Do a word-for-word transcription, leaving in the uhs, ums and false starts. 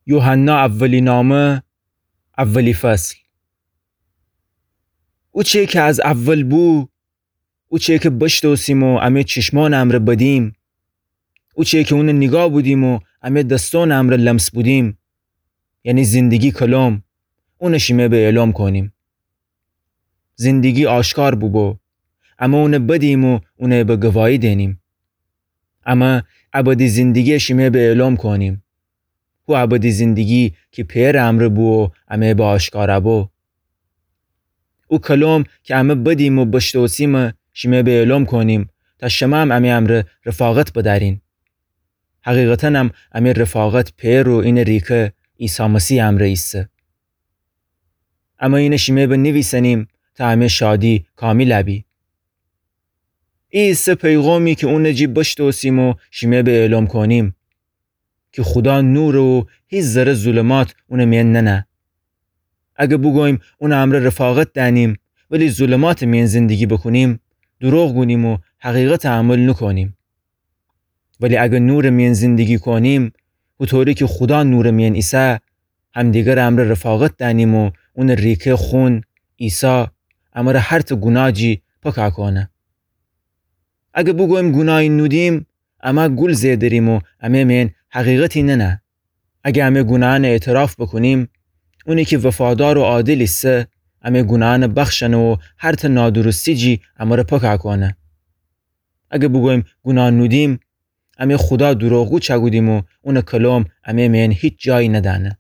یوحنا اولی نامه، اولی فصل. اوچه کی از اول بو، اوچه کی بشتوسیم و امه چشمأنٚ امرأ بدیم، اوچه کی اونٚ نیگاه بودیم و امه دسأنٚ امرأ لمس بودیم، یعنی زندگی کلم، اون شیمه به اعلام کونیم. زندگی آشکار بوبو، امه اون بدیم و اون به گواهی دینیم. امه ابدی زندگی شیمه به اعلام کونیم. هو ابدی زندگی کی پئرٚ امرأ بو و امه به آشکار بو. او کلم کی امه بدیم و بشتوسیم شیمه به اعلام کونیم، تا شمه‌ام امه امرأ رفاقت بدأرین. حقیقتاً هم امه رفاقت پئر و اینٚ ریکه عیسی مسیحٚ امرأ ایسه. امه اینه شیمه به نیویسنیم تا امه شادی کامیل بی. ای ایسه پیغامی کی اونٚ جی بشتوسیم و شیمه به اعلام کونیم، کی خودا نوره و هیچ ذره ظلمات اونٚ میأن ننه. اگه بوگوییم اونٚ امرأ رفاقت دأنیم، ولی ظلماتٚ میأن زندگی بوکونیم، دروغ گونیم و حقیقت عمل نوکونیم. ولی اگه نورٚ میأن زندگی کونیم، هوطوری کی خودا نورٚ میأن ایسه، همدیگرٚ امرأ رفاقت دأنیم و اونٚ ریکه خون، عیسی، امرأ هر ته گوناه جی پاکا کونه. اگه بوگوییم گوناهی نودیم، امه گول زئه دریم و امه میأن حقیقتی ننه. اگه امه گوناهأنٚ اعتراف بوکونیم، اونی کی وفادار و عادل ایسه، امه گوناهأنٚ بخشنه و هر ته نادرستی جی امرأ پاکا کونه. اگه بوگوییم گوناه نودیم، امه خودا دروغگو چأکودیم و اونٚ کلم امه میأن هیچ جایی ندأنه.